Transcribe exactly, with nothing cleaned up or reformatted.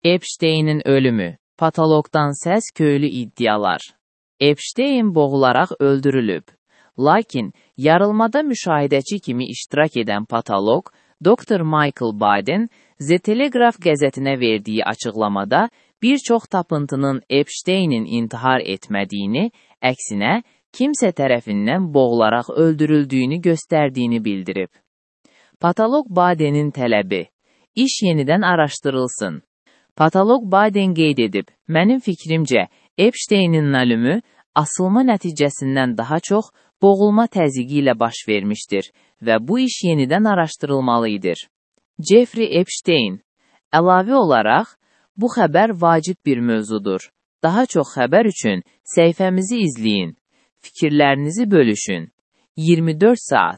Epstein'in ölümü, patologdan səs köylü iddialar. Epstein boğularaq öldürülüb. Lakin, yarılmada müşahidəçi kimi iştirak edən patolog, doktor Michael Baden, The Telegraph qəzetinə verdiyi açıqlamada bir çox tapıntının Epstein'in intihar etmədiyini, əksinə, kimsə tərəfindən boğularaq öldürüldüyünü göstərdiyini bildirib. Patolog Baden'in tələbi, iş yenidən araşdırılsın. Patolog Baden qeyd edib, mənim fikrimcə, Epstein'in ölümü asılma nəticəsindən daha çox boğulma təzyiqi ilə baş vermişdir və bu iş yenidən araşdırılmalıdır. Jeffrey Epstein, əlavə olaraq, bu xəbər vacib bir mövzudur. Daha çox xəbər üçün səhifəmizi izləyin. Fikirlərinizi bölüşün. iyirmi dörd saat.